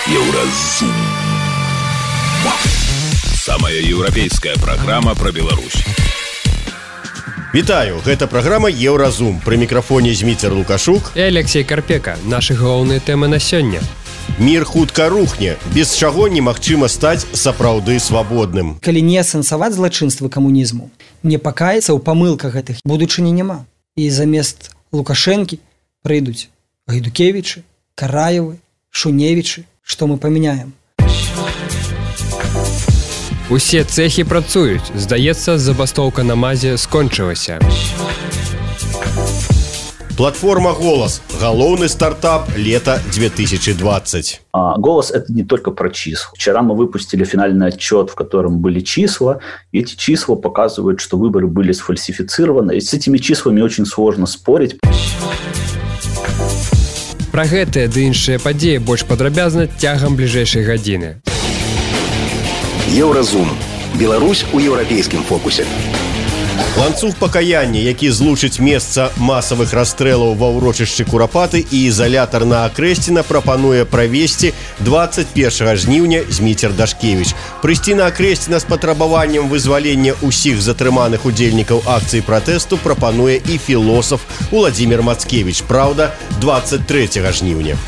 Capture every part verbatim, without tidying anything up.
Еўразум. Самая еўрапейская праграма пра Беларусь. Вітаю, гэта праграма Еўразум. Пры мікрафоне Зміцер Лукашук і Алексей Карпека. Нашы галоўныя тэмы на сёння. Мір хутка рухне, без чаго немагчыма стаць сапраўды свабодным. Калі не асэнсаваць злачынствы камунізму, не пакаяцца ў памылках гэтых будучыні няма. І замест Лукашэнкі прыйдуць Гайдукевічы, Караевы, Шуневічы. Што мы памяняем? Усе цэхі працуюць. Здаецца, забастоўка на мазе скончылася. Платформа «Голос» – галоўны стартап лета две тысячи двадцать. «Голос» — это не только про числа. Вчера мы выпустили финальный отчет, в котором были числа. И эти числа показывают, что выборы были сфальсифицированы. И с этими числами очень сложно спорить. Пра гэтыя ды іншыя падзеі больш падрабязна цягам бліжэйшай гадзіны. Еўразум. Беларусь у еўрапейскім фокусе. Ланцуг пакаяння, які злучыць месца масавых расстрэлаў ва ўрочышчы Курапаты і изалятар на Акрэсціна, прапануе правесці двадцать першага жніўня Зміцер Дашкевіч. Прыйсці на Акрэсціна з патрабаваннем вызвалення ўсіх затрыманых удзельнікаў акцыі пратэсту прапануе і філосаф Уладзімір Мацкевіч. Праўда, двадцать трэцяга жніўня.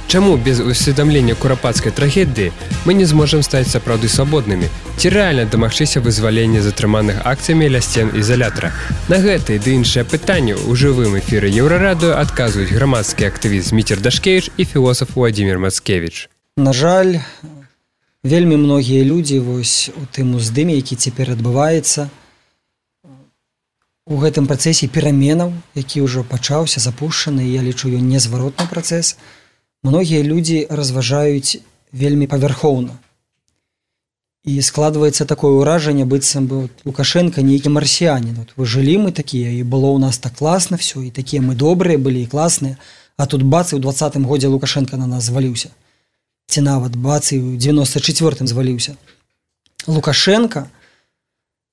Чаму без усведамлення курапацкай трагедыі мы не зможам стаць сапраўды свабоднымі? Ці рэальна дамагчыся вызвалення затрыманых акцыямі ля сцен ізалятара? На гэтыя ды іншыя пытанні ў жывым эфіры Еўрарадыё адказваюць грамадскі актывіст Зміцер Дашкевіч і філосаф Уладзімір Мацкевіч. На жаль, вельмі многія людзі вось у тым уздыме, які цяпер адбываецца, у гэтым працэсе пераменаў, які ўжо пачаўся, запушчаны, я лічу, ён незваротны працэс, многія людзі разважаюць вельмі павярхоўна. І складваецца такое ўражанне, быццам бы Лукашенко нейкі марсіянін. Вот вы жылі мы такія, і было ў нас так класна все, і такія мы добрыя былі і класныя, а тут бац, і ў двадцатым годзе Лукашенко на нас зваліўся. Ці нават бац, і ў девяносто четвёртым зваліўся. Лукашенко,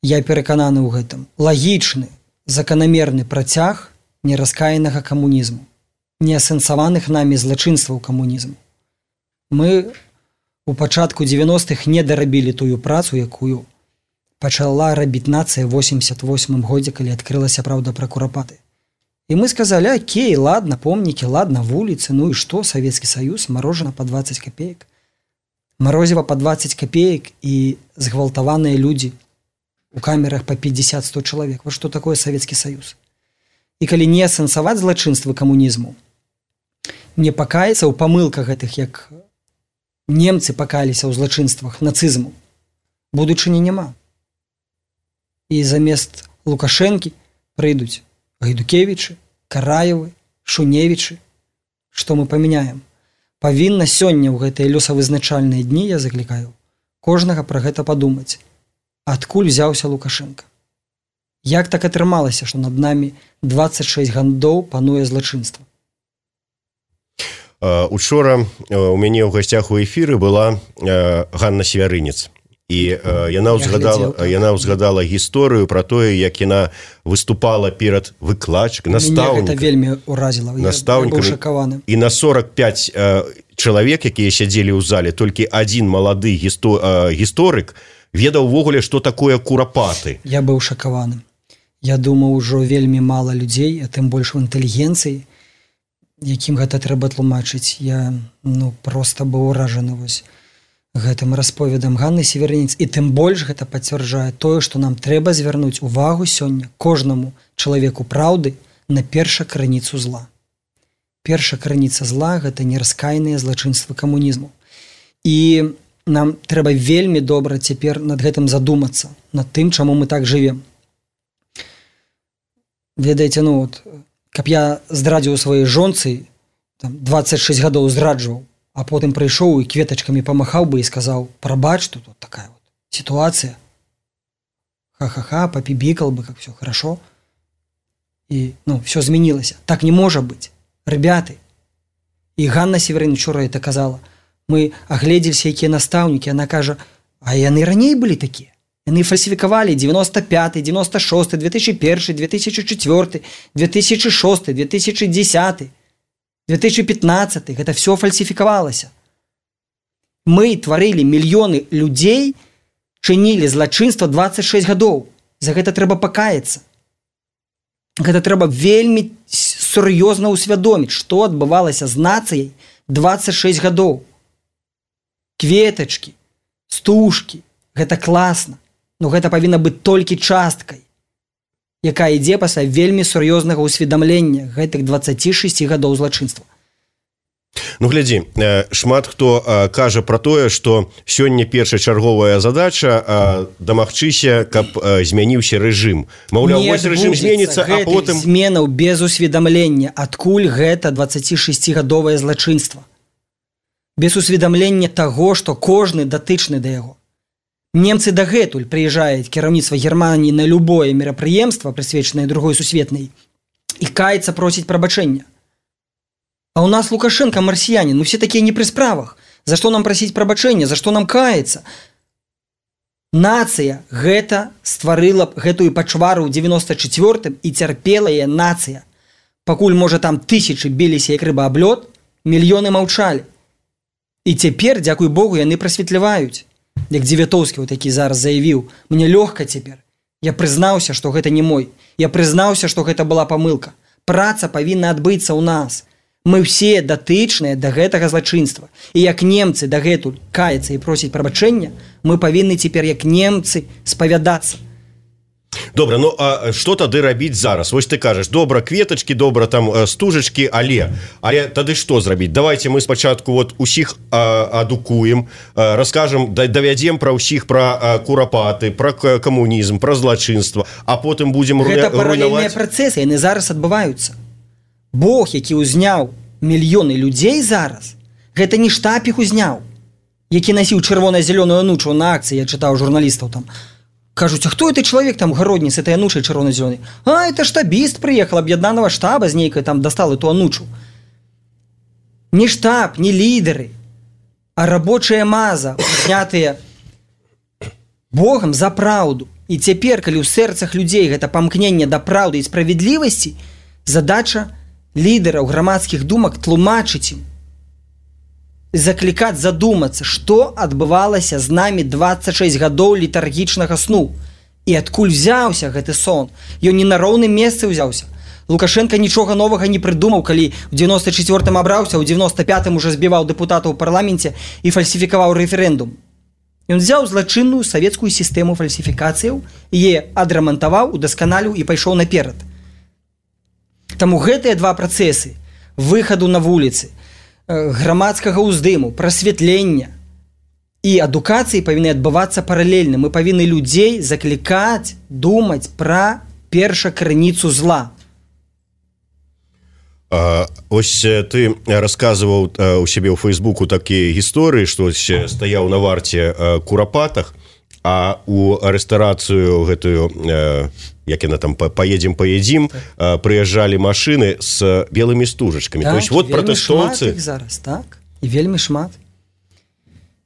я перакананы ў гэтым, лагічны, заканамерны працяг нераскаянага камунізму, неасэнсаваных намі злачынстваў камунізму. Мы у пачатку девяностых не дарабілі тую працу, якую пачала рабіць нацыя ў восемьдесят восьмым годзе, калі адкрылася праўда пра Курапаты. І мы сказалі: окей, ладно, помнікі, ладно, вуліцы, ну і што, Савецкі Саюз, марожана па двадцать копеек. Марозіва па двадцать копеек і згвалтаваныя людзі у камерах па пятьдесят сто чалавек. Вот што такое Савецкі Саюз. І калі не асэнсаваць злачынствы камунізму, не пакаяцца ў памылках гэтых, як немцы пакаяліся ў злачынствах нацызму, будучыні няма. І замест Лукашэнкі прыйдуць Гайдукевічы, Караевы, Шуневічы. Што мы памяняем? Павінна сёння ў гэтыя лёсавызначальныя дні, я заклікаю, кожнага пра гэта падумаць. Адкуль взяўся Лукашенко? Як так атрымалася, што над намі двадцать шесть гадоў пануе злачынства? Учора у мяне ў гасцях у эфіры была Ганна Севярынец. І яна ўзгадала, яна ўзгадала гісторыю пра тое, як яна выступала перад выкладчыкам, настаўнікам. Мяне гэта вельмі ўразіла, я быў шакаваны. І на сорок пять чалавек, якія сядзелі ў зале, толькі адзін малады гісторык ведаў увогуле, што такое Курапаты. Я быў шакаваны. Я думаю, ужо вельмі мала людзей, а тым больш у інтэлігенцыі, якім гэта трэба тлумачыць. Я ну, проста быў уражаны вось гэтым расповедам Ганны Севярынец. І тым больш гэта пацвярджае тое, што нам трэба звярнуць увагу сёння кожнаму чалавеку праўды на першакрыніцу зла. Першая крыніца зла – гэта нераскаяныя злачынствы камунізму. І нам трэба вельмі добра цяпер над гэтым задумацца, над тым, чаму мы так жывем. Ведаеце, ну вот, каб я здрадзіў сваёй жонцы, там, двадцать шесть гадоў здраджваў, а потым прыйшоў і кветачкамі памахаў бы і сказаў: прабач, тут вот такая вот ситуация. Ха-ха-ха, попибикал бы, как все хорошо. И, ну, все изменилось. Так не может быть. Ребята. И Ганна Северин вчора это казала. Мы огляделись, якія настаўнікі. Она кажа: а яны раней были такие. Яны фальсификовали девяносто пятый, девяносто шестой, две тысячи первый, две тысячи четвёртый, две тысячи шестой, две тысячи десятый, две тысячи пятнадцатый. Это все фальсификовалось. Мы тварылі мільёны людзей, чынілі злачынства дваццаць шэсць гадоў. За гэта трэба пакаяцца. Гэта трэба вельмі сур'ёзна ўсвядоміць, што адбывалася з нацыяй дваццаць шэсць гадоў. Кветачкі, стужкі, гэта класна, но гэта павінна быць толькі часткай, якая ідзе пасля вельмі сур'ёзнага ўсведамлення гэтых дваццаць шэсць гадоў злачынства. Ну, глядзі, шмат хто кажа пра тое, што сёння першачарговая задача дамагчыся, каб змяніўся рэжым. Маўляў, вось рэжым зменіцца, а потым... зменаў без усведамлення, адкуль гэта дваццацішасцігадовае злачынства. Без усведамлення таго, што кожны датычны да яго. Немцы дагэтуль прыязджаюць кіраўніцтва Германіі на любое мерапрыемства, прысвечанае другой сусветнай, і каецца просіць прабачэння. А у нас Лукашенко марсиянин, ну все такие не при справах. За что нам просить прабачэння, за что нам каяться? Нацыя гэта стварыла гэтую пачвару ў девяносто четвёртым і цярпела яе нацыя. Пакуль, можа, там тысячы біліся як рыба аб лёд, мільёны маўчалі. І цяпер, дзякуй Богу, яны прасветліваюць. Як Дзевятоўскі вот такі зараз заявіў, мне лёгка цяпер. Я прызнаўся, што гэта не мой. Я прызнаўся, што гэта была памылка. Праца павінна адбыцца ў нас. Мы ўсе датычныя да гэтага злачынства. І як немцы дагэтуль каяцца і просіць прабачэння, мы павінны цяпер як немцы спавядацца. Добра, ну а што тады рабіць зараз? Вось ты кажаш, добра, кветачкі, добра, там стужачкі, але але тады што зрабіць? Давайте мы спачатку вот усіх а, адукуем, а, раскажам, да, давядзем пра ўсіх, пра а, курапаты, пра камунізм, пра злачынства, а потым будзем руйнаваць. Гэта паралельныя працэсы, яны зараз адбываюцца. Бог, які ўзняў мільёны людзей зараз, гэта не штаб іх узняў, які насіў чырвона-зялёную анучу на акцыі, я чытаў журналістаў там. Кажуць, а хто это чалавек там гародні с этой анучай чырвона-зялёнай? А, это штабіст прыехал аб'яднанага штаба з нейкай там дастал эту анучу. Не штаб, не лідеры, а рабочая маза, узнятыя Богам за праўду. І цяпер, калі ў сэрцах людзей гэта памкненне да праўды і справядлівасці, задача лідераў грамадскіх думак тлумачыць ім, заклікаць задумацца, што адбывалася з намі дваццаць шэсць гадоў летаргічнага сну і адкуль взяўся гэты сон. Ён не на роўным месцы ўзяўся. Лукашенко нічога новага не прыдумаў, калі ў девяносто четвёртым абраўся, ў девяносто пятым уже збіваў дэпутатаў у парламенце і фальсіфікаваў рэферэндум. Ён взяў злачынную савецкую сістэму фальсіфікацыяў, яе адрамантаваў, удасканаліў і пайшоў наперад. Таму гэтыя два працэсы выхаду на вуліцы, грамадскага ўздыму, прасвятлення і адукацыі павінны адбывацца паралельна. Мы павінны людзей заклікаць думаць пра першакрыніцу зла. А, ось ты расказваў у сябе ў Фейсбуку такія гісторыі, што стаяў на варце курапатах, а у рэстарацыю гэтую, як яна там, поедем, поедим, так. Прыязджалі машыны з белымі стужачкамі. Так, то есть вот пратэстоўцы... зараз, так, і вельмі шмат.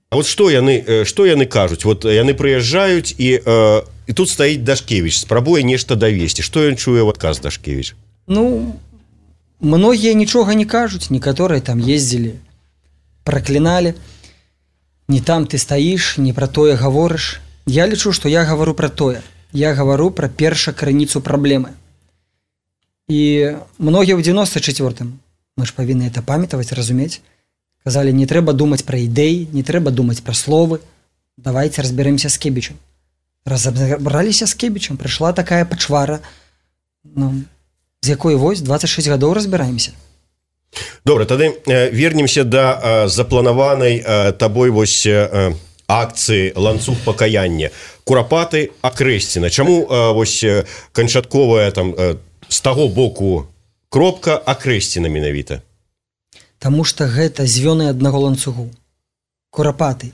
А вот што яны, што яны кажуць? Вот яны прыязджаюць, і, і тут стаіць Дашкевіч, спрабуе нешта давесці. Што ён чуе ў адказ Дашкевіч? Ну, многія нічога не кажуць, некаторыя там ездзілі, пракліналі. Не там ты стаіш, не пра тое гаворыш. Я лічу, што я гавару пра тое. Я гавару пра першакрыніцу праблемы. І многія ў девяносто четвёртым, мы ж павінны это памятаваць, разумець, казалі, не трэба думаць пра ідэі, не трэба думаць пра словы, давайте разбярэмся з Кебічам. Разабраліся з Кебічам, прыйшла такая пачвара, ну, з якой вось дваццаць шэсць гадоў разбіраемся. Добра, тады вернемся да запланаванай табой вось акцыі ланцуг пакаяння. Курапаты акрэсціна. Чаму вось канчатковая там з таго боку кропка акрэсціна менавіта? Таму што гэта звёны аднаго ланцугу. Курапаты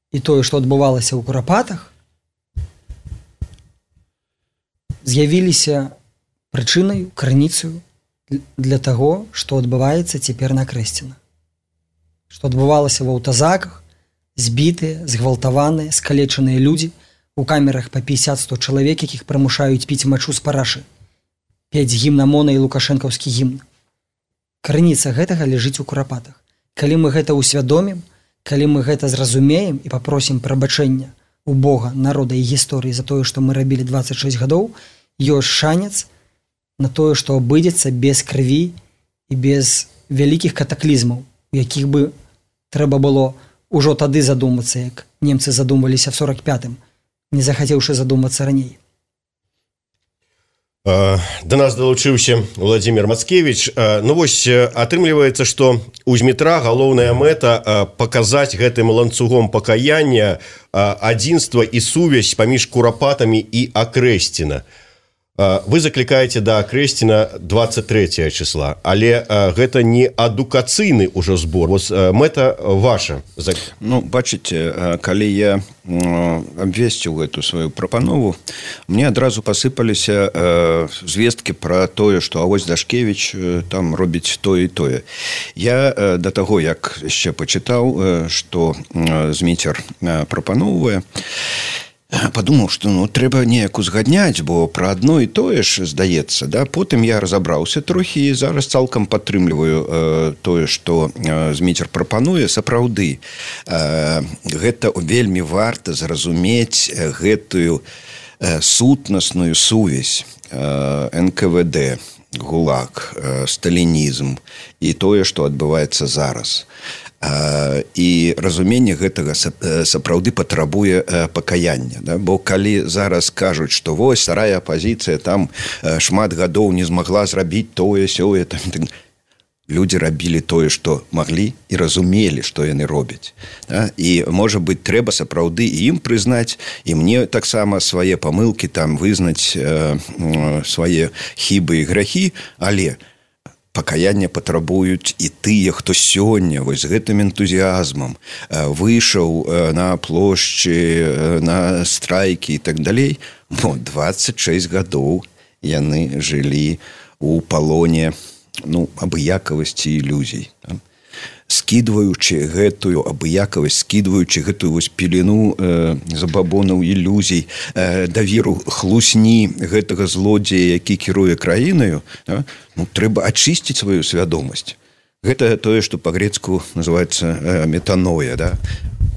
і тое, што адбывалася ў курапатах, з'явіліся прычынаю, крыніцаю для таго, што адбываецца цяпер на Акрэсціна. Што адбывалася ва аўтазаках, збітыя, згвалтаваныя, скалечаныя людзі, у камерах па пятьдесят сто чалавек, якіх прымушаюць піць мачу з парашы. Пяць гімна МОНа і лукашэнкаўскі гімн. Крыніца гэтага ляжыць у курапатах. Калі мы гэта ўсвядомім, калі мы гэта зразумеем і папросім прабачэння у Бога, народа і гісторыі за тое, што мы рабілі дваццаць шэсць гадоў, ёсць шанец на тое, што абыдзецца без крыві і без вялікіх катаклізмаў, у якіх бы трэба было ўжо тады задумацца, як немцы задумваліся в сорок пятым, не захацеўшы задумацца раней. Да нас далучыўся Владзімір Мацкевіч. Ну вось, атрымліваецца, што у Змітра галоўная мэта паказаць гэтым ланцугом пакаяння адзінства і сувязь паміж курапатамі і Акрэсціна. Вы заклікаеце да Акрэсціна двадцать трэцяга числа, але гэта не адукацыйны ўжо збор. Вось мэта ваша. Ну, бачыце, калі я абвесціў гэту сваю прапанову, мне адразу пасыпаліся звесткі пра тое, што авось Дашкевіч там робіць тое і тое. Я да таго, як яшчэ пачытаў, што Зміцер прапаноўвае, подумаў, што ну, трэба неяк узгадняць, бо пра адно і тое ж здаецца. Да? Потым я разабраўся трохі і зараз цалкам падтрымліваю э, тое, што э, Зміцер прапануе. Сапраўды, э, гэта вельмі варта зразумець гэтую э, сутнасную сувязь э, эн ка вэ дэ, ГУЛАГ, э, сталінізм і тое, што адбываецца зараз. І разуменне гэтага сапраўды патрабуе пакаяння, да? Бо калі зараз кажуць, што вось старая апазіцыя там шмат гадоў не змагла зрабіць тое сёе, там, людзі рабілі тое, што маглі і разумелі, што яны робяць, да? І можа быць трэба сапраўды ім прызнаць, і мне таксама свае памылкі там вызнаць э, свае хібы і грахі, але пакаяння патрабуюць і тыя, хто сёння вось гэтым энтузіазмам выйшаў на плошчы, на страйкі і так далей. Бо двадцать шесть гадоў яны жылі у палоне, ну, абыякавасці і ілюзій. Скідваючы гэтую абыякавасць, скідваючы гэтую вось пелену э, забабонаў ілюзій, э, даверу хлусні гэтага злодзея, які кіруе краінаю, да? Ну, трэба ачысціць сваю свядомасць. Гэта тое, што па-грецку называецца э, метаноя, да?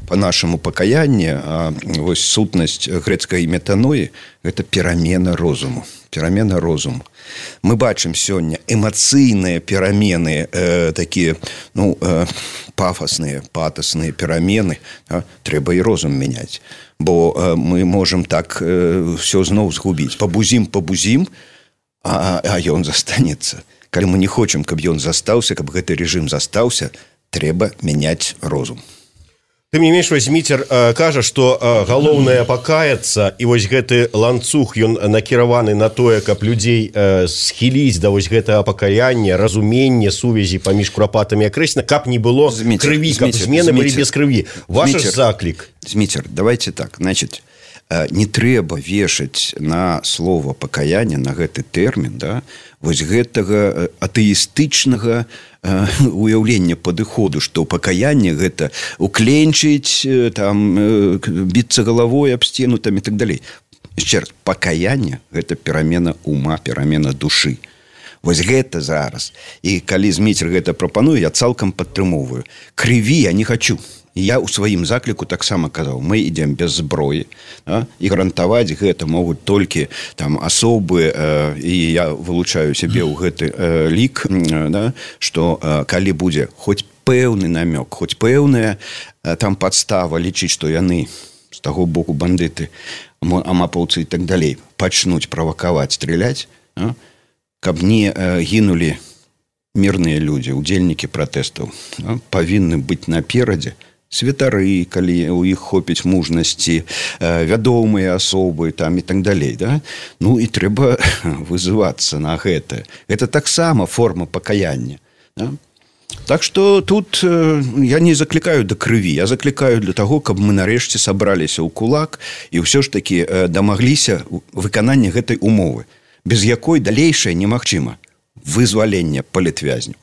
Па-нашаму пакаянне, а вось сутнасць грэцкай метаноі – гэта перамена розуму. Перамена розуму. Мы бачым сёння эмацыйныя перамены, э, такія, ну, э, пафасныя, патасныя перамены. А? Трэба і розум мяняць. Бо э, мы можам так э, все зноў згубіць. Пабузім, пабузім, а, а ён застанецца. Калі мы не хочам, каб ён застаўся, каб гэты рэжым застаўся, трэба мяняць розум. Тым не менш, Зміцер э, кажа, што э, галоўнае пакаяцца, і вось гэты ланцуг, ён накіраваны на тое, каб людзей э, схіліць да вось гэтага пакаяння, разумення, сувязі паміж курапатамі і Акрэсціна, каб не было Зміцер, крыві, каб Зміцер, змены Зміцер, былі без крыві. Ваш заклік. Зміцер, давайте так, значит, не трэба вешаць на слово пакаяння, на гэты тэрмін, да, вось гэтага атэістычнага уяўлення падыходу, што пакаянне гэта укленчыць, там, біцца галавой аб сцену, там, і так далей. Яшчэ раз, пакаянне гэта перамена ума, перамена душы. Вось гэта зараз. І калі Зміцер гэта прапануе, я цалкам падтрымоўваю. Крыві я не хачу. І я ў сваім закліку таксама казаў, мы ідзем без зброі, да? І гарантаваць гэта могуць толькі там асобы, э, і я вылучаю сябе ў гэты э, лік, э, да? Што э, калі будзе хоць пэўны намёк, хоць пэўная э, там падстава лічыць, што яны з таго боку бандыты, амапаўцы і так далей пачнуць правакаваць, стреляць, да? Каб не э, гінулі мірныя людзі, удзельнікі пратэстаў, да? Павінны быць наперадзе святары, калі у іх хопіць мужнасці, вядомыя асобы там і так далей, да? Ну і трэба вызывацца на гэта. Гэта таксама форма пакаяння, да? Так што тут я не заклікаю да крыві, я заклікаю для таго, каб мы нарэшце сабраліся ў кулак і ўсё ж такі дамагліся выканання гэтай умовы, без якой далейшае немагчыма. Вызваленне палітвязняў.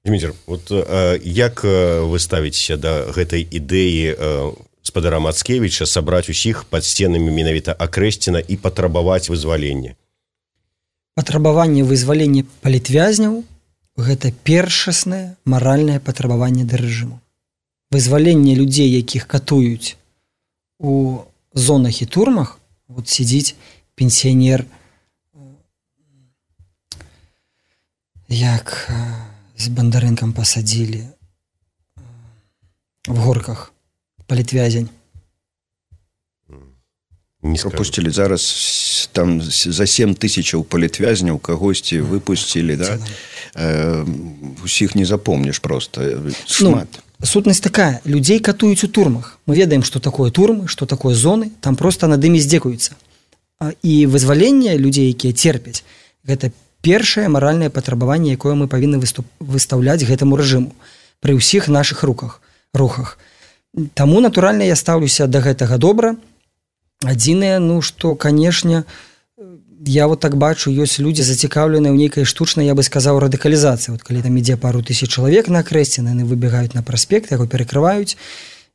Зміцер, вот э, як э, вы ставіцеся да гэтай ідэі э, спадара Мацкевіча сабраць усіх пад сценамі менавіта Акрэсціна і патрабаваць вызвалення? Патрабаванне вызвалення палітвязняў – гэта першаснае маральнае патрабаванне да рэжыму. вызваленне людзей, якіх катуюць у зонах і турмах, вот сидзіць пенсіянер, як з Бандарэнкам пасадзілі в горках, палітвязень. Пропустили зараз там за сем тысячаў палітвязняў кагосьці выпусцілі, да? Э, усіх не запомніш просто. Шмат. Ну, сутнасць такая. Людзей катуюць у турмах. Мы ведаем, што такое турмы, што такое зоны. Там просто над імі здзекуюцца. І вызваленне людзей, якія церпяць, гэта першае маральнае патрабаванне, якое мы павінны выступ... выстаўляць гэтаму рэжыму пры ўсіх нашых руках, рухах. Таму, натуральна, я стаўлюся да гэтага добра. Адзінае, ну, што, канешне, я вот так бачу, ёсць людзі зацікаўленыя ў нейкай штучнай, я бы сказаў, радыкалізацыі. Вот калі там ідзе пару тысяч чалавек на Акрэсціна, яны выбегаюць на праспект, яго перакрываюць.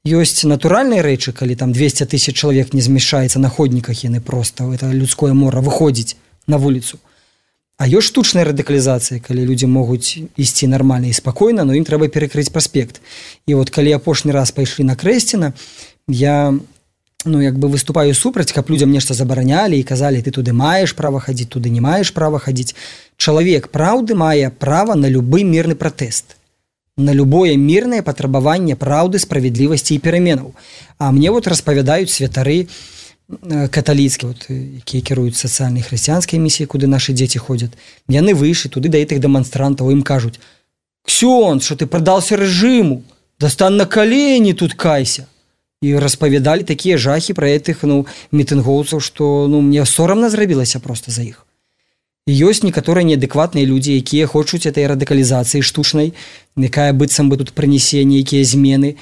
Ёсць натуральныя рэчы, калі там двесце тысяч чалавек не змяшчаецца на ходніках, яны проста, это людское мора, выходзіць на вуліцу. А ёсць штучная радыкалізацыя, калі людзі могуць ісці нармальна і спакойна, но ім трэба перакрыць праспект. І вот калі апошні раз пайшлі на Акрэсціна, я... ну, як бы выступаю супраць, каб людзям нешта забаранялі і казалі, ты туды маеш права хадзіць, туды не маеш права хадзіць. Чалавек праўды мае права на любы мірны пратэст, на любое мірнае патрабаванне праўды, справядлівасці і пераменаў. А мне вот распавядаюць святары каталіцкія, вот, якія кіруюць сацыяльнай хрысціянскай місіяй, куды нашы дзеці ходзяць. Яны выйшлі туды да гэтых дэманстрантаў, ім кажуць: «Ксёндз, што ты прадаўся рэжыму, дастань на калені тут кайся». І распавядалі такія жахі пра гэтых, ну, мітынгоўцаў, што, ну, мне сорамна зрабілася проста за іх. І ёсць некаторыя неадэкватныя людзі, якія хочуць этой радыкалізацыі штучнай, якая быццам бы тут прынясе нейкія змены.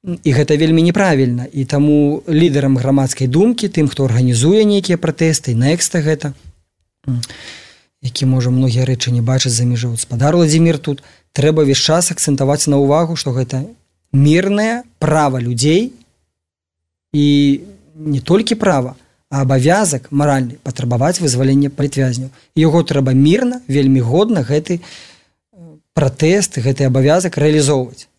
І гэта вельмі неправільна. І таму лідарам грамадскай думкі, тым, хто арганізуе нейкія пратэсты, Некста гэта, які, можа, многія рэчы не бачаць за межы. Спадар Владзімір тут, трэба весь час акцэнтаваць на ўвагу, што гэта мірнае права людзей, і не толькі права, а абавязак маральны патрабаваць вызвалення палітвязняў. Яго трэба мірна, вельмі годна гэты пратэст, гэты абавязак рэалізоўваць.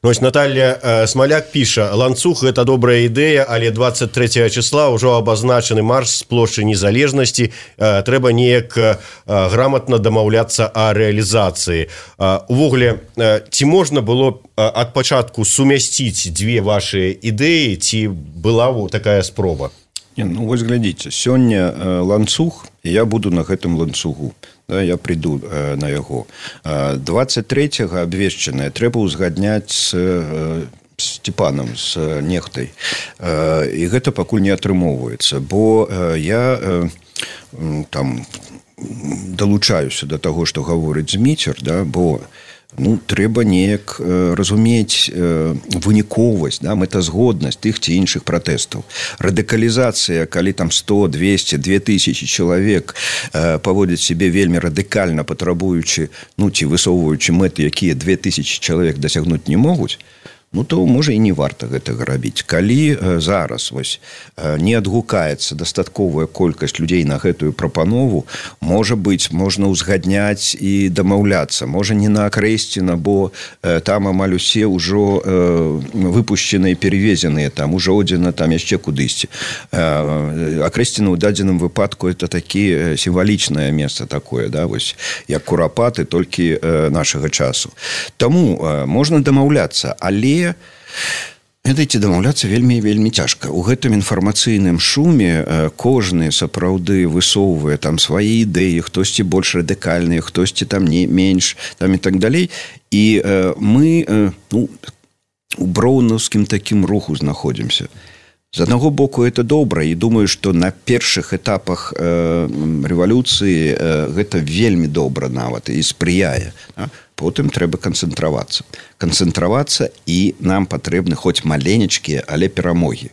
Ну, ось Наталья э, Смоляк піша: ланцуг — гэта добрая ідэя, але двадцать третьего числа ўжо абазначаны марш з плошчы Незалежнасці, э, трэба неяк э, грамотна дамаўляцца о рэалізацыі. Э, увогуле, э, ці можна было э, ад пачатку сумясціць дзве ваши ідэі, ці была такая спроба? Не, ну вось глядзіце, сёння э, ланцуг, і я буду на гэтым ланцугу. Да, я приду э, на яго. двадцать третьего абвешчанае трэба ўзгадняць з э, Степаном, з Нехтай. Э, і гэта пакуль не атрымоўваецца, бо э, я э, там далучаюся до таго, што гаворыць Зміцер, да, бо ну, трэба неяк э, разумець э, выніковасць, да, мэтазгоднасць тых ці іншых пратэстаў. Радыкалізацыя, калі там сто, двести, две тысячи чалавек э, паводзяць себе вельмі радыкальна, патрабуючы, ну, ці высоўваючы мэты, якія две тысячи чалавек дасягнуць не могуць, ну, то, можа, і не варта гэтага рабіць. Калі э, зараз вось, э, не адгукаецца дастатковая колькасць людзей на гэтую прапанову, можа быць, можна ўзгадняць і дамаўляцца. Можа, не на Акрэсціна, бо э, там амаль усе ўжо э, выпушченыя, перевезеныя, там, ужо одзена, там яшчэ кудысьці. Э, Акрэсціна ў дадзеным выпадку это такі сімвалічнае месца такое, да, вось, як Курапаты, толькі э, нашага часу. Таму э, можна дамаўляцца, але ведаеце, дамаўляцца вельмі вельмі цяжка. У гэтым інфармацыйным шуме кожны сапраўды высоўвае там свае ідэі, хтосьці больш радыкальныя, хтосьці там не менш, там і так далей. І э, мы э, ну, у броўнаўскім такім руху знаходзімся. З аднаго боку, это добра, і думаю, што на першых этапах э, рэвалюцыі э, гэта вельмі добра нават і спрыяе. Да? Потым трэба канцэнтравацца. Канцэнтравацца, і нам патрэбны хоць маленечкія, але перамогі.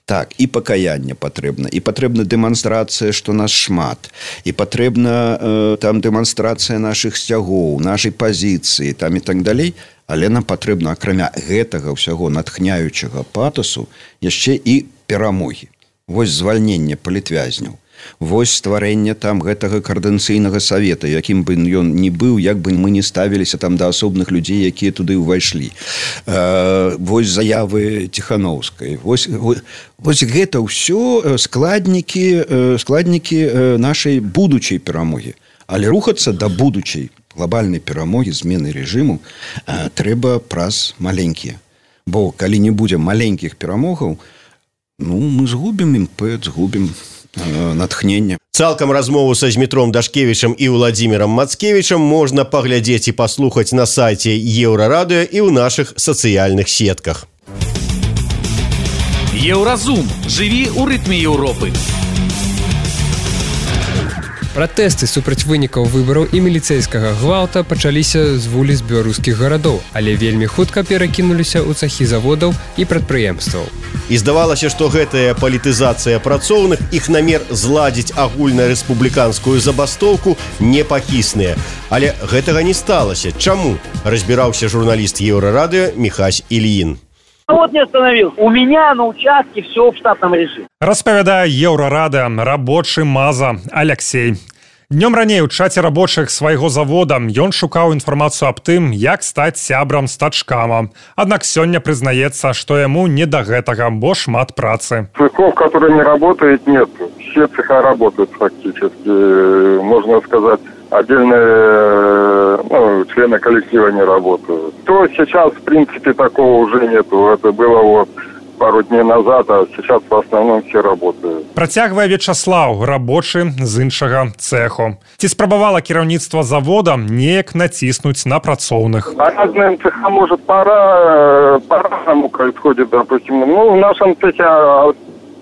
Так, і пакаянне патрэбна, і патрэбна дэманстрацыя, што нас шмат, і патрэбна э, там дэманстрацыя нашых сцягоў, нашай пазіцыі, там і так далей, але нам патрэбна, акрамя гэтага ўсяго натхняючага патасу, яшчэ і перамогі. Вось звальненне палітвязняў. Вось стварэнне там гэтага каардынацыйнага савета, якім бы ён не быў, як бы мы не ставіліся там да асобных людзей, якія туды ўвайшлі. Вось заявы Ціханаўскай. Вось, вось гэта ўсё складнікі, складнікі нашай будучай перамогі. Але рухацца да будучай глобальнай перамогі, змены рэжыму трэба праз маленькія. Бо калі не будзе маленькіх перамогаў, ну, мы згубім імпэт, згубім натхнення. Цалкам размову са Змітром Дашкевічам і Владзімірам Мацкевічам можна паглядзець і паслухаць на сайце Еўрарадыё і ў нашых сацыяльных сетках. Еўразум. Жыві ў рытме Еўропы. Пратэсты супраць вынікаў выбараў і міліцэйскага гвалта пачаліся з вуліц беларускіх гарадоў, але вельмі хутка перакінуліся ў цахі заводаў і прадпрыемстваў. І здавалася, што гэтая палітызацыя працоўных, іх намер зладзіць агульнарэспубліканскую забастоўку непахісная. Але гэтага не сталася. Чаму? Разбіраўся журналіст Еўрарадыё Михась Ильин. Вот не остановился. У меня на участке все в штатном режиме. Распавядае Еўрарадыё рабочы МАЗа Алексей. Днём раней у чаце рабочых свайго завода ён шукаў інфармацыю аб тым, як стаць сябрам стачкама. Аднак сёння прызнаецца, што яму не да гэтага, бо шмат працы. Цехов, который не работает, нет. Все цеха работают фактически. Можно сказать, отдельные ну, члены коллектива не работают. То сейчас, в принципе, такого уже нету. Это было вот пару дней назад, а сейчас в основном все работают. Працягвае Вячаслаў, рабочы з іншага цеху. Ці спрабавала кіраўніцтва завода неяк націснуць на працоўных? По разным цехам, может, пора, по-разному происходит, допустим. Ну, в нашем цехе,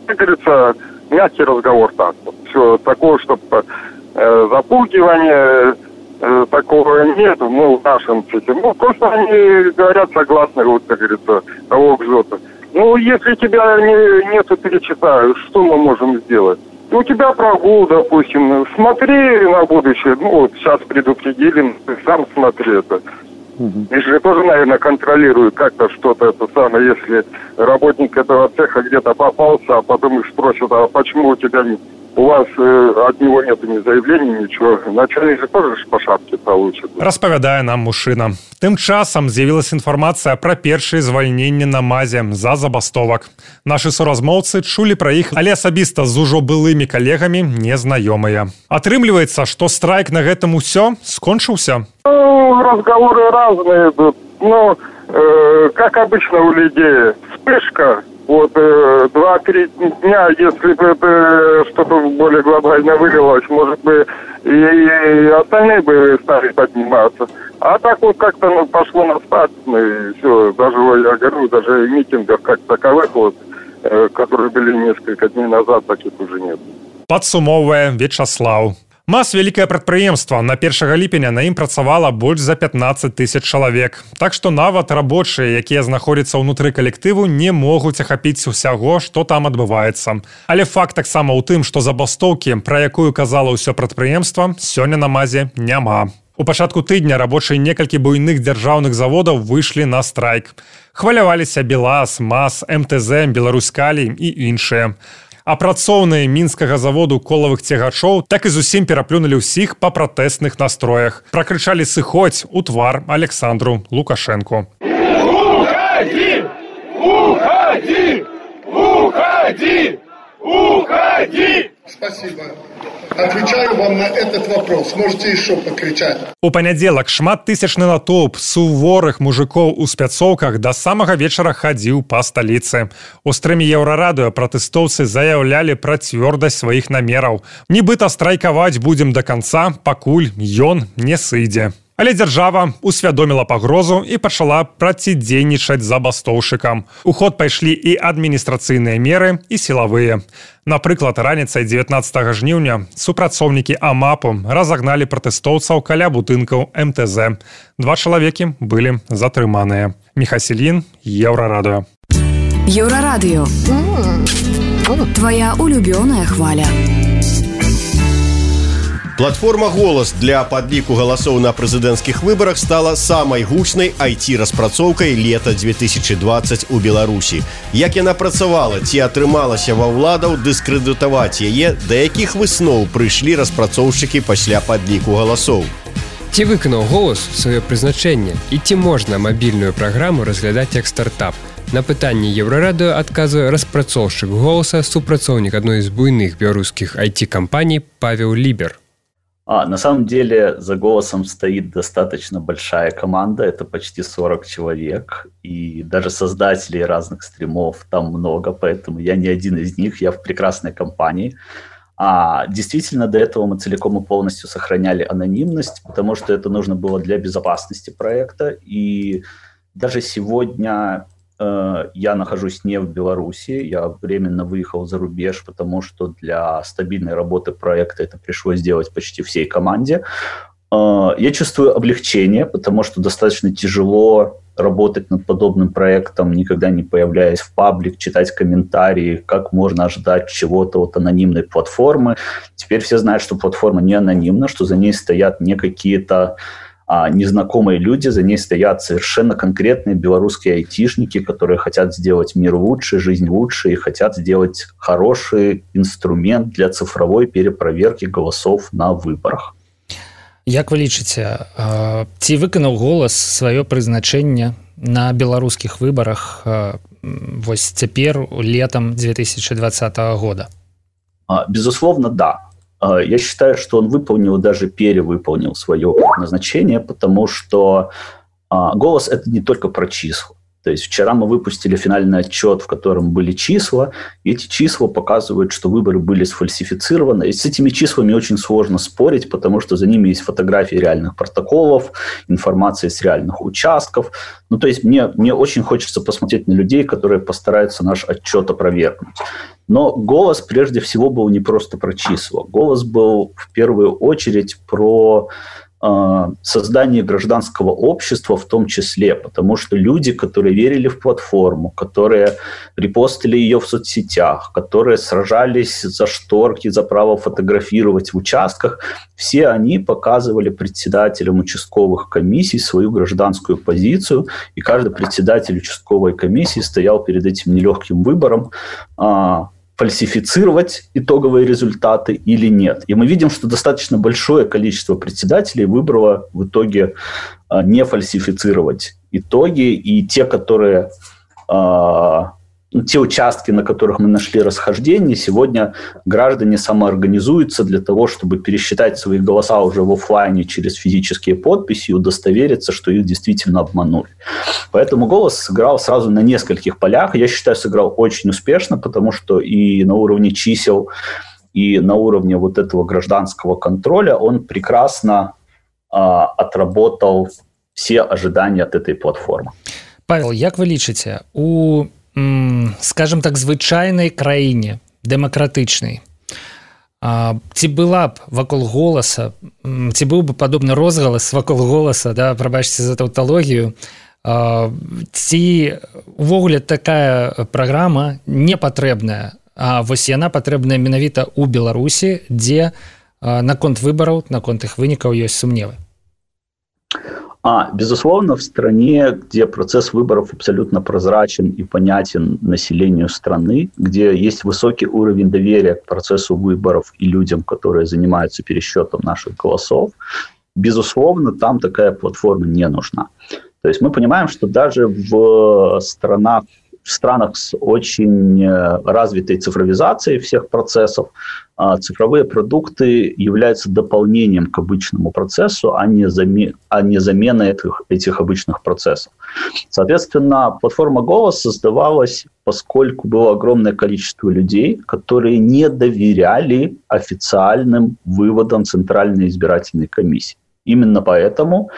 как говорится, мягкий разговор так вот. Все такое, чтобы э, запугивание, э, такого нет, ну, в нашем цехе. Ну, просто они говорят согласно, вот, как говорится, того гжота. Ну, если тебя не, нету перечета, что мы можем сделать? У тебя прогул, допустим, смотри на будущее. Ну, вот сейчас предупредили, ты сам смотри это. Угу. И же тоже, наверное, контролируют как-то что-то это самое. Если работник этого цеха где-то попался, а потом их спросят, а почему у тебя не... У вас э, от него нет ни заявлений, ничего. Начальник же тоже по шапке получит. Распавядае нам мужчына. Тым часам з'явілася інфармацыя пра першыя звальненні на МАЗе за забастовак. Нашы суразмоўцы чулі пра іх, але асабіста з ужо былымі калегамі незнаёмыя. Атрымліваецца, што страйк на гэтым усё скончыўся? Ну, разговоры разные идут. Ну, э, как обычно у людей, вспышка. Вот э, два-три дня, если бы это что-то более глобально вылилось, может быть, и, и остальные бы стали подниматься. А так вот как-то ну, пошло на спад, ну, и все. Даже, я говорю, даже митингов как таковых, вот, э, которые были несколько дней назад, таких уже нет. Падсумоўвае Вячаслаў. МАЗ – вялікае прадпрыемства. На першага ліпеня на ім працавала больш за пятнаццаць тысяч чалавек. Так што нават рабочыя, якія знаходзяцца ўнутры калектыву, не могуць ахапіць усяго, што там адбываецца. Але факт таксама ў тым, што забастоўкі, пра якую казала ўсё прадпрыемства, сёння на МАЗе няма. У пачатку тыдня рабочыя некалькі буйных дзяржаўных заводаў выйшлі на страйк. Хваляваліся БелАЗ, МАЗ, МТЗ, Беларускалій і іншыя. А працоўныя мінскага заводу колавых цягачоў так і зусім пераплюнулі ўсіх па пратэсных настроях. Пракрычалі «Сыходзь» у твар Александру Лукашэнку. Уходи! Уходи! Уходи! Уходи! Спасибо. Отвечаю вам на этот вопрос. Можете еще покричать. У панядзелак шматтысячны натоўп суворых мужикоў у спецоўках да самага вечара хадзіў па сталіцы. У стрыме Еўрарадыё пратэстоўцы заяўлялі пра цвёрдасць сваіх намераў. Нібыта страйкаваць будзем да канца, пакуль ён не сыдзе. Але дзяржава усвядоміла пагрозу і пачала процідзейнічаць забастоўшчыкам. У ход пайшлі і адміністрацыйныя меры, і сілавыя. Напрыклад, раніцай дзевятнаццатага жніўня супрацоўнікі АМАПу разагналі пратэстоўцаў каля будынкаў МТЗ. Два чалавекі былі затрыманыя. Михась Ильин, Еўрарадыё. Еўрарадыё. Твоя улюбёная хваля. Платформа «Голос» для падліку галасоў на прэзідэнцкіх выбарах стала самай гучнай ай ти-распрацоўкай лета две тысячи двадцать у Беларусі. Як яна працавала, ці атрымалася ва ўладаў дыскрэдытаваць яе, да якіх высноў прыйшлі распрацоўшчыкі пасля падліку галасоў? Ці выканаў «Голас» сваё прызначэнне і ці можна мабільную праграму разглядаць як стартап? На пытанне Еўрарадыё адказвае распрацоўшчык «Голаса», супрацоўнік адной з буйных беларускіх ай ти-кампаній Павел Лібер. А, на самом деле за «Голосом» стоит достаточно большая команда, это почти сорок человек, и даже создателей разных стримов там много, поэтому я не один из них, я в прекрасной компании. А, действительно, до этого мы целиком и полностью сохраняли анонимность, потому что это нужно было для безопасности проекта, и даже сегодня... Я нахожусь не в Беларуси, я временно выехал за рубеж, потому что для стабильной работы проекта это пришлось делать почти всей команде. Я чувствую облегчение, потому что достаточно тяжело работать над подобным проектом, никогда не появляясь в паблик, читать комментарии, как можно ожидать чего-то от анонимной платформы. Теперь все знают, что платформа не анонимна, что за ней стоят не какие-то а незнакомые люди, за ней стоят совершенно конкретные белорусские айтишники, которые хотят сделать мир лучше, жизнь лучше и хотят сделать хороший инструмент для цифровой перепроверки голосов на выборах. Як вы лічыце, ці выканаў «Голас» сваё прызначэнне на беларускіх выбарах вось цяпер летом две тысячи двадцатого года? Безусловно, да. Я считаю, что он выполнил, даже перевыполнил свое назначение, потому что «Голос» — это не только про числа. То есть вчера мы выпустили финальный отчет, в котором были числа, и эти числа показывают, что выборы были сфальсифицированы. И с этими числами очень сложно спорить, потому что за ними есть фотографии реальных протоколов, информация с реальных участков. Ну, то есть мне, мне очень хочется посмотреть на людей, которые постараются наш отчет опровергнуть. Но «Голос» прежде всего был не просто про числа. «Голос» был в первую очередь про э, создание гражданского общества в том числе, потому что люди, которые верили в платформу, которые репостили ее в соцсетях, которые сражались за шторки, за право фотографировать в участках, все они показывали председателям участковых комиссий свою гражданскую позицию, и каждый председатель участковой комиссии стоял перед этим нелегким выбором, э, фальсифицировать итоговые результаты или нет. И мы видим, что достаточно большое количество председателей выбрало в итоге а, не фальсифицировать итоги. И те, которые, а, те участки, на которых мы нашли расхождение, сегодня граждане самоорганизуются для того, чтобы пересчитать свои голоса уже в офлайне через физические подписи и удостовериться, что их действительно обманули. Поэтому «Голос» сыграл сразу на нескольких полях. Я считаю, сыграл очень успешно, потому что и на уровне чисел, и на уровне вот этого гражданского контроля он прекрасно а, отработал все ожидания от этой платформы. Павел, як вы лічыце, у, скажем так, звычайнай краіне, дэмакратычнай, ці была б вакол «Голаса», ці быў бы падобны розгалас вакол «Голаса», да, прабачце за таўталогію, ці увогуле такая праграма не патрэбная, а вось яна патрэбная менавіта ў Беларусі, дзе наконт выбараў, наконт іх вынікаў ёсць сумневы? А, безусловно, в стране, где процесс выборов абсолютно прозрачен и понятен населению страны, где есть высокий уровень доверия к процессу выборов и людям, которые занимаются пересчетом наших голосов, безусловно, там такая платформа не нужна. То есть мы понимаем, что даже в странах, в странах с очень развитой цифровизацией всех процессов цифровые продукты являются дополнением к обычному процессу, а не, замен, а не заменой этих, этих обычных процессов. Соответственно, платформа «Голос» создавалась, поскольку было огромное количество людей, которые не доверяли официальным выводам Центральной избирательной комиссии. Именно поэтому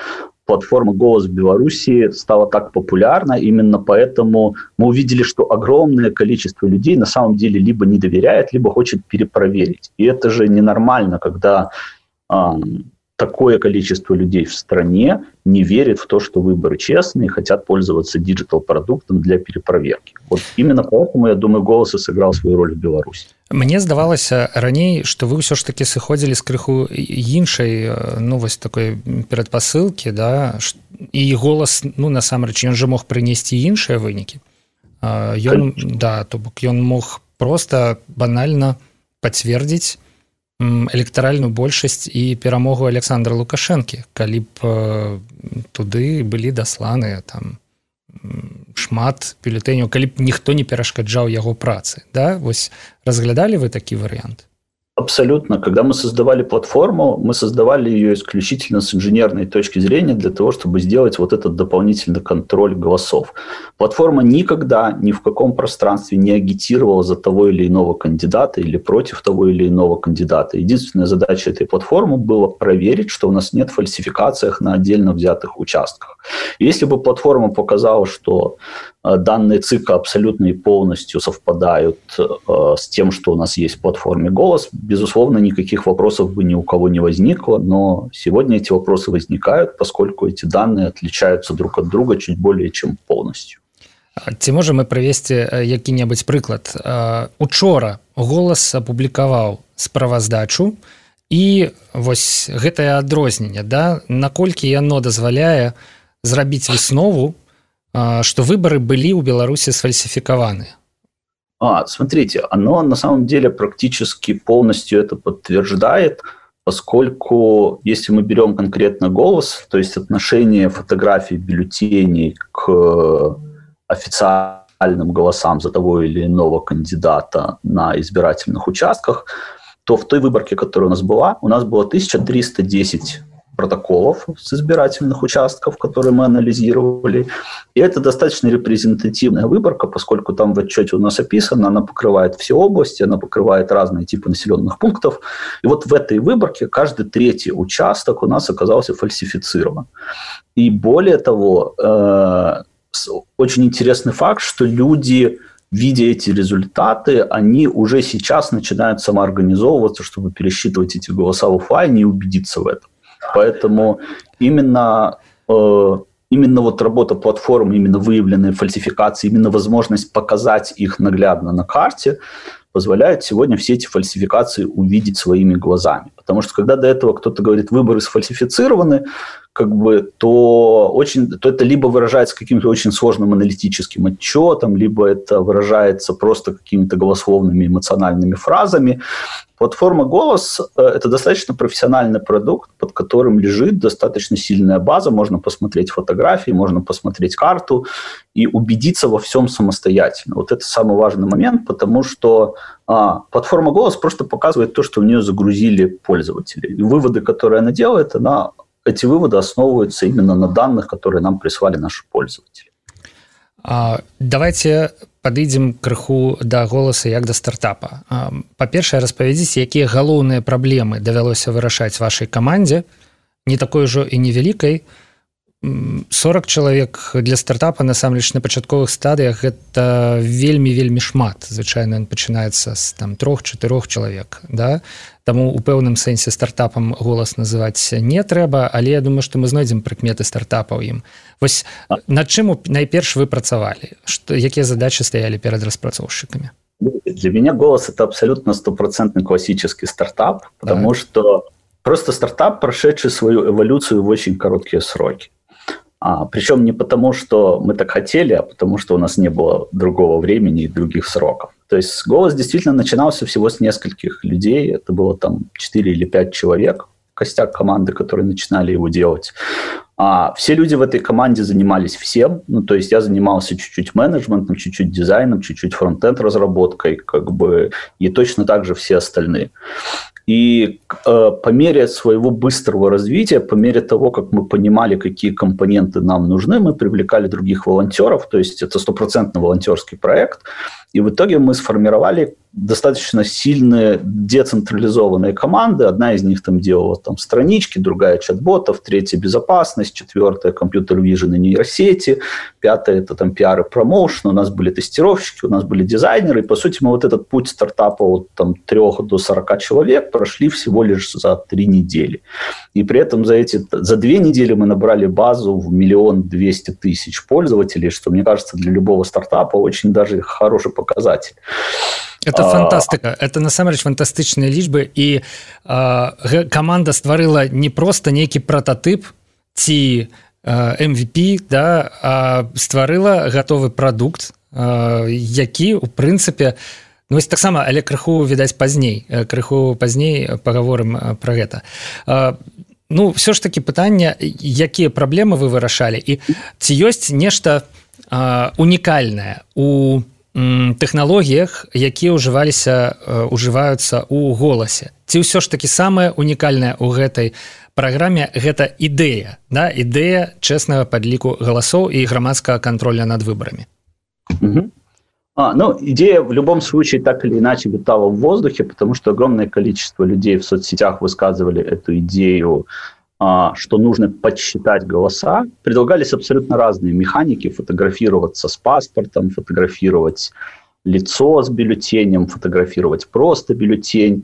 платформа «Голос» в Беларуси стала так популярна. Именно поэтому мы увидели, что огромное количество людей на самом деле либо не доверяет, либо хочет перепроверить. И это же ненормально, когда э, такое количество людей в стране не верит в то, что выборы честные, хотят пользоваться диджитал-продуктом для перепроверки. Вот именно поэтому, я думаю, «Голос» и сыграл свою роль в Беларуси. Мне здавалася раней, што вы ўсё ж такі сыходзілі з крыху іншай, ну, вось такой перадпасылкі, да, і «Голас», ну, насамрэч, ён жа мог прынесці іншыя вынікі. Ён, да, то бок ён мог проста банальна пацвердзіць электаральную большасць і перамогу Александра Лукашэнкі, калі б туды былі дасланыя там шмат бюлетэняў, калі б ніхто не перашкаджаў яго працы. Да? Вось разглядалі вы такі варыянт? Абсолютно. Когда мы создавали платформу, мы создавали ее исключительно с инженерной точки зрения для того, чтобы сделать вот этот дополнительный контроль голосов. Платформа никогда ни в каком пространстве не агитировала за того или иного кандидата или против того или иного кандидата. Единственная задача этой платформы была проверить, что у нас нет фальсификаций на отдельно взятых участках. Если бы платформа показала, что данные ЦИКа абсолютно и полностью совпадают э, с тем, что у нас есть в платформе «Голос», безусловно, никаких вопросов бы ни у кого не возникло, но сегодня эти вопросы возникают, поскольку эти данные отличаются друг от друга чуть более чем полностью. Ці можем мы привести які-небудзь прыклад? Учора «Голос» апублікаваў справаздачу, і вось гэтае адрозненне, да, наколькі яно дазваляе зрабіць выснову, что выборы были у Беларуси сфальсификованы? А, смотрите, оно на самом деле практически полностью это подтверждает, поскольку если мы берем конкретно «Голос», то есть отношение фотографий бюллетеней к официальным голосам за того или иного кандидата на избирательных участках, то в той выборке, которая у нас была, у нас было тысяча триста десять протоколов с избирательных участков, которые мы анализировали. И это достаточно репрезентативная выборка, поскольку там в отчете у нас описано, она покрывает все области, она покрывает разные типы населенных пунктов. И вот в этой выборке каждый третий участок у нас оказался фальсифицирован. И более того, э, очень интересный факт, что люди, видя эти результаты, они уже сейчас начинают самоорганизовываться, чтобы пересчитывать эти голоса в офлайне и убедиться в этом. Поэтому именно, э, именно вот работа платформы, именно выявленные фальсификации, именно возможность показать их наглядно на карте позволяет сегодня все эти фальсификации увидеть своими глазами. Потому что когда до этого кто-то говорит, выборы сфальсифицированы, как бы, то, очень, то это либо выражается каким-то очень сложным аналитическим отчетом, либо это выражается просто какими-то голословными эмоциональными фразами. Платформа «Голос» – это достаточно профессиональный продукт, под которым лежит достаточно сильная база. Можно посмотреть фотографии, можно посмотреть карту и убедиться во всем самостоятельно. Вот это самый важный момент, потому что а, платформа «Голос» просто показывает то, что в нее загрузили пользователи. И выводы, которые она делает, она, эти выводы основываются именно на данных, которые нам прислали наши пользователи. А, давайте падыдзем крыху да «Голаса» як да стартапа. Па-першае, распавядзіце, якія галоўныя праблемы давялося вырашаць вашай камандзе, не такой ужо і невялікай. сорок чалавек для стартапа, насамрэч, на пачатковых стадыях гэта вельмі-вельмі шмат. Звычайна ён пачынаецца з там трох-чатырох чалавек, да? Таму у пэўным сэнсе стартапам «Голас» называць не трэба, але я думаю, што мы знойдзем прыкметы стартапа ў ім. Вось над чым найперш вы працавалі? Што, якія задачы стаялі перад распрацоўшчыкамі? Для меня «Голос» — это абсолютно стопроцентный классический стартап, потому так. что просто стартап, прошедший свою эволюцию в очень короткие сроки. А, причем не потому, что мы так хотели, а потому, что у нас не было другого времени и других сроков. То есть «Голос» действительно начинался всего с нескольких людей. Это было там четыре или пять человек, костяк команды, которые начинали его делать. А все люди в этой команде занимались всем. Ну, то есть я занимался чуть-чуть менеджментом, чуть-чуть дизайном, чуть-чуть фронт-энд разработкой, как бы, и точно так же все остальные. И э, по мере своего быстрого развития, по мере того, как мы понимали, какие компоненты нам нужны, мы привлекали других волонтеров, то есть это стопроцентно волонтерский проект, И в итоге мы сформировали достаточно сильные децентрализованные команды. Одна из них там делала там странички, другая чат-ботов, третья безопасность, четвертая компьютер-вижн и нейросети, пятая это там пиар и промоушен, у нас были тестировщики, у нас были дизайнеры. И по сути мы вот этот путь стартапа от там, трёх до сорока человек прошли всего лишь за три недели. И при этом за, эти, за две недели мы набрали базу в миллион двести тысяч пользователей, что, мне кажется, для любого стартапа очень даже хороший показатель. Это фантастика, это насамрэч фантастычныя лічбы, і э, каманда стварыла не проста нейкі прататып ці э, эм ви пі, да, а стварыла гатовы прадукт, э, які у прынцыпе, ну вось таксама, але крыху відаць пазней, крыху пазней пагаворым пра гэта. Э, ну все ж таки пытанне, якія праблемы вы вырашалі, і ці ёсць нешта э, унікальнае у тэхналогіях, якія ўжываліся ўжываюцца ў голасе. Ці ўсё ж такі самае унікальнае ў гэтай праграме гэта ідэя, да? Ідэя чэснага падліку галасоў і грамадскага контроля над выбарамі. Угу. А, ну, идея в любом случае так или иначе витала в воздухе, потому что огромное количество людей в соцсетях высказывали эту идею, что нужно подсчитать голоса. Предлагались абсолютно разные механики: фотографироваться с паспортом, фотографировать лицо с бюллетенем, фотографировать просто бюллетень.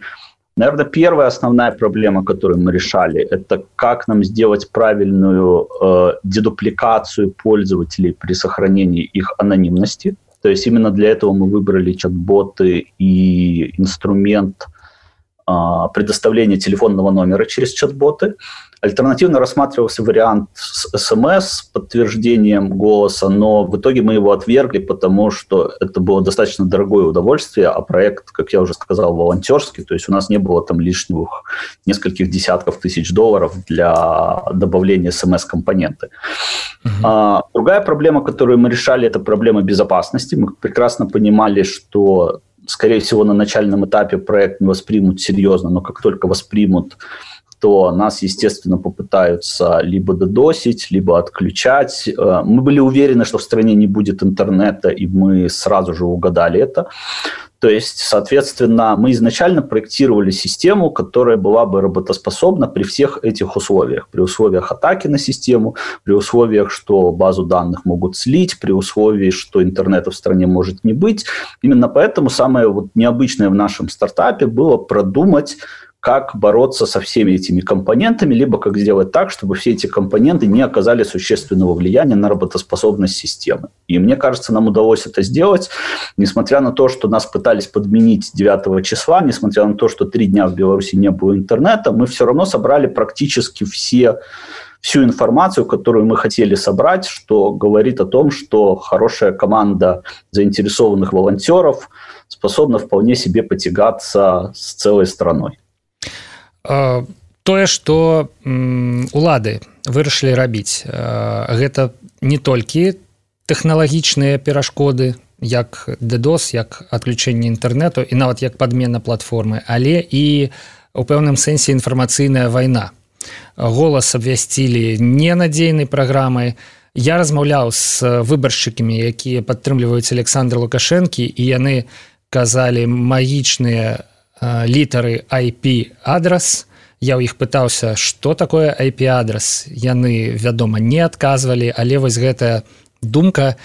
Наверное, первая основная проблема, которую мы решали, это как нам сделать правильную э, дедупликацию пользователей при сохранении их анонимности. То есть именно для этого мы выбрали чат-боты и инструмент э, предоставления телефонного номера через чат-боты. Альтернативно рассматривался вариант с эс эм эс с подтверждением голоса, но в итоге мы его отвергли, потому что это было достаточно дорогое удовольствие, а проект, как я уже сказал, волонтерский, то есть у нас не было там лишних нескольких десятков тысяч долларов для добавления эс эм эс-компоненты. Uh-huh. А, другая проблема, которую мы решали, это проблема безопасности. Мы прекрасно понимали, что, скорее всего, на начальном этапе проект не воспримут серьезно, но как только воспримут, то нас, естественно, попытаются либо додосить, либо отключать. Мы были уверены, что в стране не будет интернета, и мы сразу же угадали это. То есть, соответственно, мы изначально проектировали систему, которая была бы работоспособна при всех этих условиях. При условиях атаки на систему, при условиях, что базу данных могут слить, при условии, что интернета в стране может не быть. Именно поэтому самое вот необычное в нашем стартапе было продумать, как бороться со всеми этими компонентами, либо как сделать так, чтобы все эти компоненты не оказали существенного влияния на работоспособность системы. И мне кажется, нам удалось это сделать, несмотря на то, что нас пытались подменить девятого числа, несмотря на то, что три дня в Беларуси не было интернета, мы все равно собрали практически все, всю информацию, которую мы хотели собрать, что говорит о том, что хорошая команда заинтересованных волонтеров способна вполне себе потягаться с целой страной. Тое, што улады вырашылі рабіць, гэта не толькі тэхналагічныя перашкоды, як дэдос, як адключэнне інтэрнэту і нават як падмена платформы, але і у пэўным сэнсе інфармацыйная вайна. Голас абвясцілі ненадзейнай праграмай. Я размаўляў з выбаршчыкамі, якія падтрымліваюць Александра Лукашэнкі, і яны казалі магічныя літары ай пі-адрас. Я ў іх пытаўся, што такое ай пі-адрас. Яны, вядома, не адказвалі, але вось гэтая думка,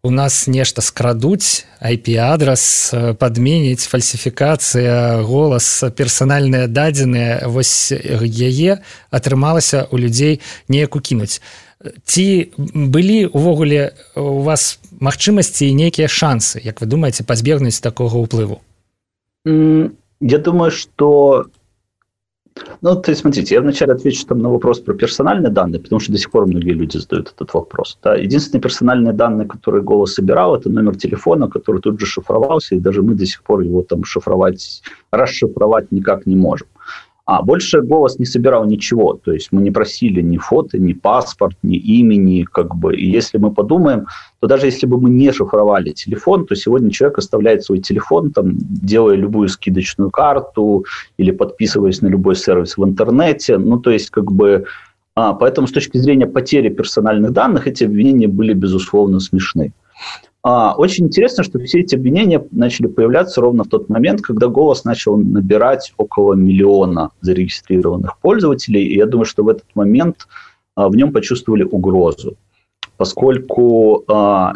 у нас нешта скрадуць, ай пі-адрас, падменіць, фальсіфікацыя, голас, персанальныя дадзеныя, вось яе атрымалася у людзей неяк укінуць. Ці былі увогуле у вас магчымасці і нейкія шансы, як вы думаеце, пазбегнуць такога ўплыву? Я думаю, что... Ну, то есть, смотрите, я вначале отвечу там на вопрос про персональные данные, потому что до сих пор многие люди задают этот вопрос. Да? Единственные персональные данные, которые голос собирал, это номер телефона, который тут же шифровался, и даже мы до сих пор его там шифровать, расшифровать никак не можем. А больше голос не собирал ничего, то есть мы не просили ни фото, ни паспорт, ни имени, как бы. И если мы подумаем, то даже если бы мы не шифровали телефон, то сегодня человек оставляет свой телефон, там, делая любую скидочную карту или подписываясь на любой сервис в интернете. Ну, то есть, как бы, а, поэтому с точки зрения потери персональных данных эти обвинения были, безусловно, смешны. А, очень интересно, что все эти обвинения начали появляться ровно в тот момент, когда «Голос» начал набирать около миллиона зарегистрированных пользователей. И я думаю, что в этот момент а, в нем почувствовали угрозу, поскольку... А,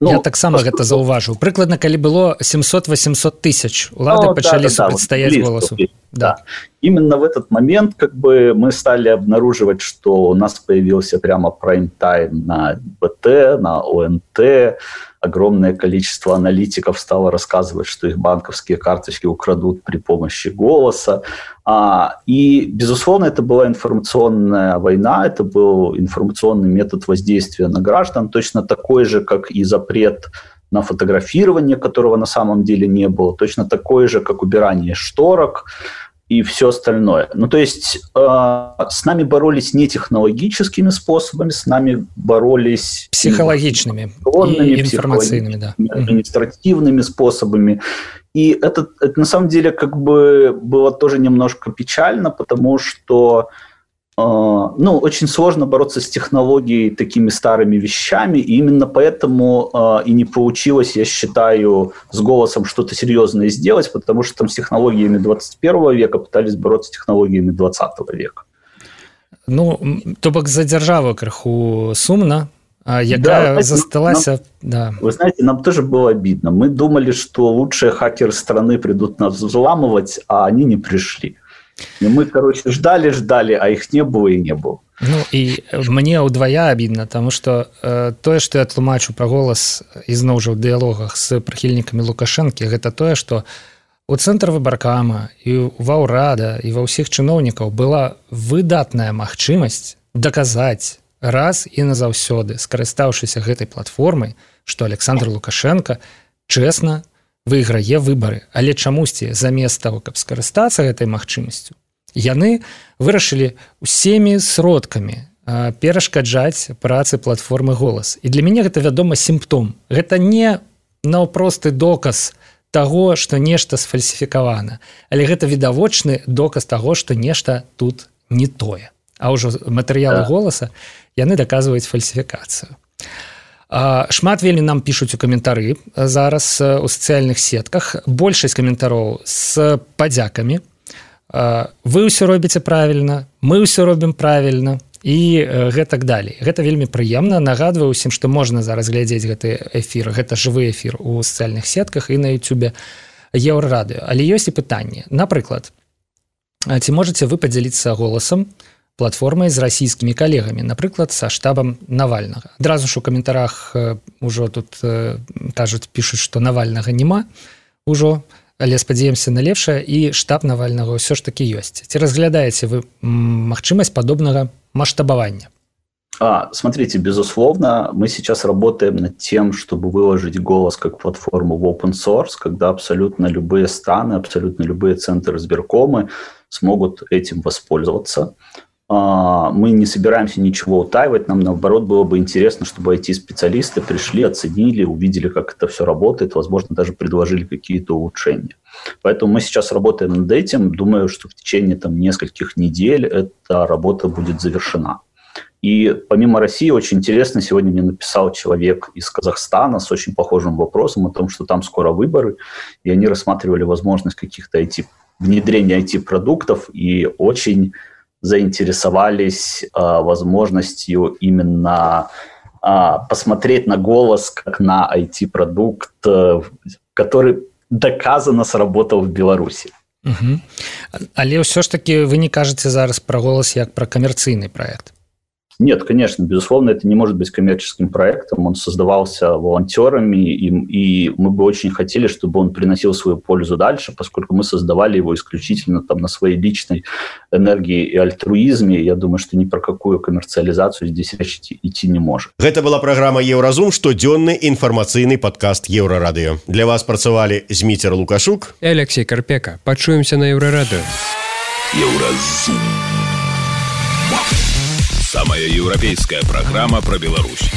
ну, я таксама поскольку... гэта заўважыў. Прыкладна, калі было семьсот-восемьсот тысяч, улады ну, пачалі да, да, супрацьстаяць да, «Голосу». Да. Да. Именно в этот момент как бы мы стали обнаруживать, что у нас появился прямо прайм-тайм на бэ тэ, на о эн тэ. Огромное количество аналитиков стало рассказывать, что их банковские карточки украдут при помощи «Голоса». А, и, безусловно, это была информационная война, это был информационный метод воздействия на граждан, точно такой же, как и запрет на фотографирование, которого на самом деле не было, точно такое же, как убирание шторок и все остальное. Ну, то есть э, с нами боролись не технологическими способами, с нами боролись... Психологичными и информационными, да. Административными способами. И это, это на самом деле как бы было тоже немножко печально, потому что ну, очень сложно бороться с технологией такими старыми вещами, и именно поэтому э, и не получилось, я считаю, с «Голосом» что-то серьезное сделать, потому что там с технологиями двадцать первого века пытались бороться с технологиями двадцатого века. Ну, то бок за дзяржаву крыху сумна, а якая да, засталася... Нам, да. Вы знаете, нам тоже было обидно. Мы думали, что лучшие хакеры страны придут нас взламывать, а они не пришли. И мы, короче, ждали-ждали, а их не было и не было. Ну, і мне ўдвая абідна, таму што э, тое, што я тлумачу пра «Голас» ізноў жа ў дыялогах з прыхільнікамі Лукашэнкі, гэта тое, што у цэнтр выбаркама і ва ўрада і ва ўсіх чыноўнікаў была выдатная магчымасць даказаць раз і назаўсёды, скарыстаўшыся гэтай платформай, што Александр Лукашенко чэсна выйграе выбары, але чамусьці замест таго, каб скарыстацца гэтай магчымасцю, яны вырашылі усімі сродкамі перашкаджаць працы платформы «Голас». І для мяне гэта, вядома, сімптом. Гэта не наўпросты доказ таго, што нешта сфальсіфікавана, але гэта відавочны доказ таго, што нешта тут не тое. А ўжо матэрыялы «Голаса» яны даказваюць фальсіфікацыю. Шмат вельмі нам пішуць у каментары зараз у сацыяльных сетках. Большасць каментароў з падзякамі. Вы ўсё робіце правільна, мы ўсё робім правільна і гэтак далей. Гэта вельмі прыемна. Нагадваю ўсім, што можна зараз глядзець гэты эфір. Гэта жывы эфір у сацыяльных сетках і на ютубе Еўрарадыё. Але ёсць і пытанне. Напрыклад, ці можаце вы падзяліцца «Голосам» платформай з расійскімі калегамі, напрыклад, са штабам Навальнага. Адразу ж у каментарах ужо тут кажуць, пішуць, што Навальнага няма ўжо, але спадзяемся на лепшае, і штаб Навальнага ўсё ж такі ёсць. Ці разглядаеце вы магчымасць падобнага масштабавання? А, смотрите, безусловно, мы сейчас работаем над тем, чтобы выложить «Голос» как платформу в open source, когда абсолютно любые страны, абсолютно любые центры избиркомы смогут этим воспользоваться. Мы не собираемся ничего утаивать, нам, наоборот, было бы интересно, чтобы ай ти-специалисты пришли, оценили, увидели, как это все работает, возможно, даже предложили какие-то улучшения. Поэтому мы сейчас работаем над этим. Думаю, что в течение там, нескольких недель эта работа будет завершена. И помимо России, очень интересно, сегодня мне написал человек из Казахстана с очень похожим вопросом о том, что там скоро выборы, и они рассматривали возможность каких-то ай ти, внедрения ай ти-продуктов, и очень... заинтересовались а, возможностью именно а, посмотреть на «Голос» как на ай ти-продукт, а, который доказано сработал в Беларуси. Угу. Але ўсё ж таки вы не кажаце зараз пра «Голас» як пра камерцыйны проект? Нет, конечно, безусловно, это не может быть коммерческим проектом. Он создавался волонтерами, и, и мы бы очень хотели, чтобы он приносил свою пользу дальше, поскольку мы создавали его исключительно там, на своей личной энергии и альтруизме. Я думаю, что ни про какую коммерциализацию здесь речь идти не может. Это была программа «Еўразум», штодзённы информационный подкаст Еўрарадыё. Для вас працавалі Зміцер Лукашук и Алексей Карпека. Пачуемся на Еўрарадыё. Еўразум. Самая европейская программа про Беларусь.